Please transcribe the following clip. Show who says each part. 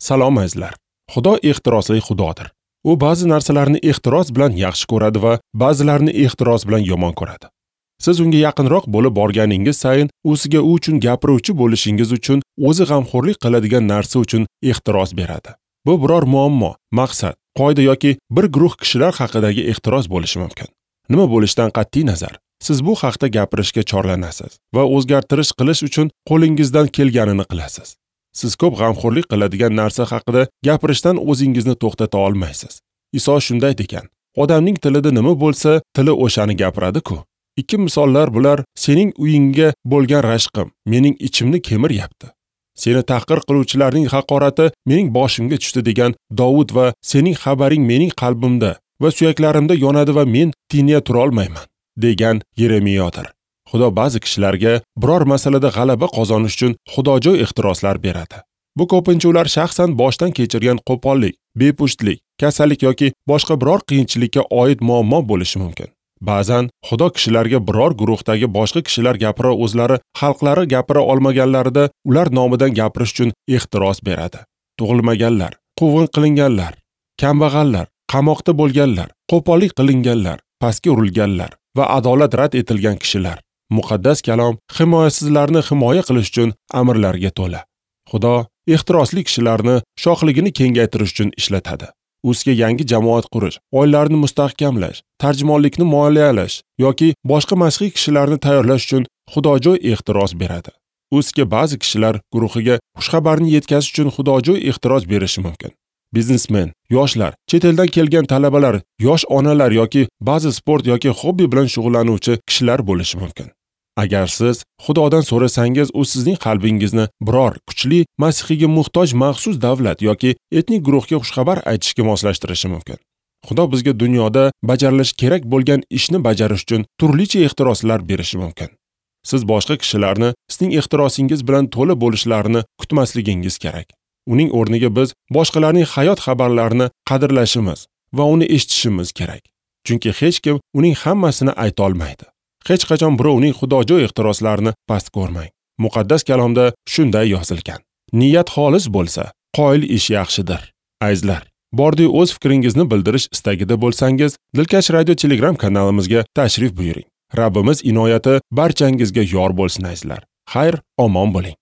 Speaker 1: Salom azizlar. Xudo ehtirosli Xudodir. U ba'zi narsalarni ehtiros bilan yaxshi ko'radi va ba'zilarini ehtiros bilan yomon ko'radi. Siz unga yaqinroq bo'lib borganingiz sayin u sizga u uchun gapiruvchi bo'lishingiz uchun o'zi g'amxo'rlik qiladigan narsa uchun ehtiros beradi. Bu biror muammo, maqsad, qoida yoki bir guruh kishilar haqidagi ehtiros bo'lishi mumkin. Nima bo'lishidan qat'iy nazar, siz bu haqda gapirishga chorlanasiz va o'zgartirish qilish uchun qo'lingizdan kelganini qilasiz. Siz ko'p g'amxo'rlik qiladigan narsa haqida gapirishdan o'zingizni to'xtata olmaysiz. Iso shunday degan: odamning tilida nima bo'lsa, tili o'shani gapiradi-ku. Ikki misollar bular: sening uyingga bo'lgan rashqim mening ichimni kemiryapti. Seni tahqir qiluvchilarning haqorati mening boshimga tushdi degan Dovud va sening xabaring mening qalbimda va suyaklarimda yonadi va men tincha tura olmayman degan Yeremiyodir. Xudo ba'zi kishilarga biror masalada g'alaba qozonish uchun xudojo'y ehtiroslar beradi. Bu ko'pincha ular shaxsan boshdan kechirgan qo'pollik, bepushtlik, kasallik yoki boshqa biror qiyinchilikka oid muammo bo'lishi mumkin. Ba'zan Xudo kishilarga biror guruhdagi boshqa kishilar gapira o'zlari xalqlari gapira olmaganlarida ular nomidan gapirish uchun ehtiros beradi. Tug'ilmaganlar, quvg'in qilinganlar, kambag'allar, qamoqda bo'lganlar, qo'pollik qilinganlar, pastga urilganlar va adolat rad etilgan kishilar. Muqaddas kalom himoyasizlarni himoya qilish uchun amrlarga to'la. Xudo ehtirosli kishilarni shohligini kengaytirish uchun ishlatadi. U sizga yangi jamoat qurish, oilalarni mustahkamlash, tarjimonlikni moliyalash yoki boshqa masihiy kishilarni tayyorlash uchun xudojo'y ehtiros beradi. U sizga ba'zi kishilar guruhiga xushxabarni yetkazish uchun xudojo'y ehtiros berishi mumkin. Biznesmen, yoshlar, chet eldan kelgan talabalar, yosh onalar yoki ba'zi sport yoki hobbi bilan shug'ullanuvchi kishilar bo'lishi mumkin. Agar siz Xudodan so'rasangiz, u sizning qalbingizni biror kuchli masihiyga muhtoj maxsus davlat yoki etnik guruhga xushxabar aytishga moslashtirishi mumkin. Xudo bizga dunyoda bajarilishi kerak bo'lgan ishni bajarish uchun turlicha ehtiroslar berishi mumkin. Siz boshqa kishilarni sizning ehtirosingiz bilan to'la bo'lishlarini kutmasligingiz kerak. Uning o'rniga biz boshqalarning hayot xabarlarini qadrlashimiz va uni eshitishimiz kerak. Chunki hech kim uning hammasini ayta olmaydi. Hech qachon birovning xudojo'y ehtiroslarini past ko'rmang. Muqaddas kalomda shunday yozilgan: niyat xolis bo'lsa, qoyil ish yaxshidir. Azizlar, bordi o'z fikringizni bildirish istagida bo'lsangiz, Dilkash Radio Telegram kanalimizga tashrif buyuring. Rabbimiz inoyati barchangizga yor bo'lsin azizlar. Xayr, omon bo'ling.